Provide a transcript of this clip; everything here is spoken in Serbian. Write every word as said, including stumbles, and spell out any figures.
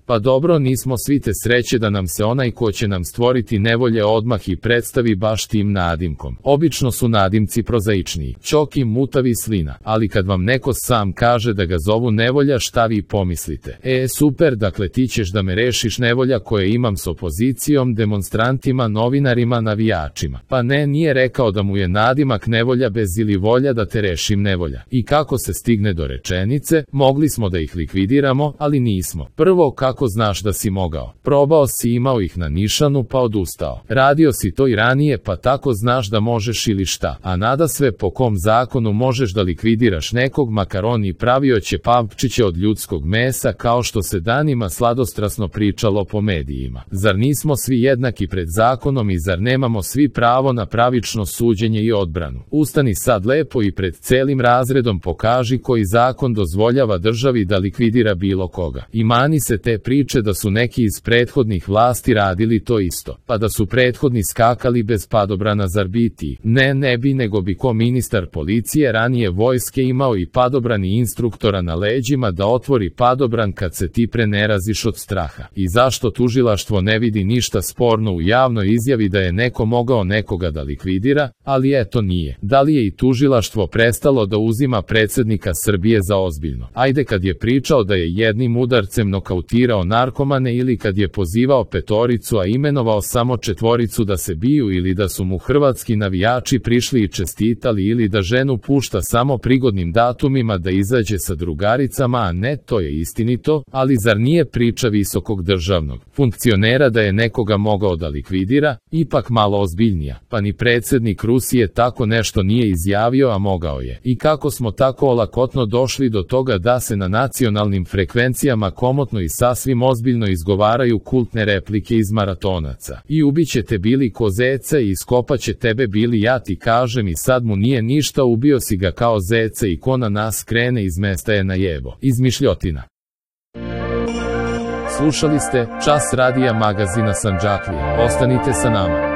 Pa dobro, nismo svi te sreće da nam se onaj ko će nam stvoriti nevolje odmah i predstavi baš tim nadimkom. Obično su nadimci prozaičniji, Ćoki, Mutavi, Slina, ali kad vam neko sam kaže da ga zovu nevolja, šta vi pomislite? E, super, dakle ti ćeš da me rešiš nevolja koje imam s opozicijom, demonstrantima, novinarima, navijačima. Pa ne, nije rekao da mu je nadimak nevolja bez ili volja da te rešim nevolja. I kako se stigne do rečenice, mogli smo da ih likvidiramo, ali nismo. Prvo, kako znaš da si mogao? Probao si, imao ih na nišanu pa odustao. Radio si to i ranije, pa tako znaš da možeš ili šta. A nadasve, po kom zakonu možeš da likvidiraš nekog, makar on i pravio će papčiće od ljudskog mesa, kao što se danima sladostrasno pričalo po medijima. Zar nismo svi jednaki pred zakonom i zar nemamo svi pravo na pravično suđenje i odbranu? Ustani sad lepo i pred celim razredom pokaži koji zakon dozvoljava državi da likvidira bilo koga. I mani se te priče da su neki iz prethodnih vlasti radili to isto, pa da su prethodni skakali bez padobrana, zar biti? Ne, ne bi, nego bi ko ministar policije ranije vojske imao i padobrani instruktora na leđima da otvori padobran kad se ti preneraziš od straha. I zašto tužilaštvo ne vidi ništa sporno u javnoj izjavi da je neko mogao nekoga da likvidira, ali eto nije. Da li je i tužilaštvo prestalo da uzima predsednika Srbije za ozbiljno? Ajde kad je pričao da je jednim udarcem nokautirao narkomane ili kad je pozivao petoricu a imenovao samo četvoricu da se biju ili da su mu hrvatski navijači prišli i čestitali ili da ženu pušta samo prigodnim datumima da izađe sa drugaricama, a ne, to je istinito, ali zar nije priča visokog državnog funkcionera da je nekoga mogao da likvidira? Ipak malo ozbiljnija, pa ni predsednik Rusije tako nešto nije izjavio, a mogao je. I kako smo tako olakotno došli do toga da se na nacionalnim frekvencijama komotno i sasvim ozbiljno izgovaraju kultne replike iz maratonaca. I ubiće te bili ko zeca i iskopaće tebe bili, ja ti kažem, i sad mu nije ništa, ubio si ga kao zeca i ko na nas krene iz mesta je na jebo. Izmišljotina. Slušali ste Čas radija magazina Sandžaklije. Ostanite sa nama.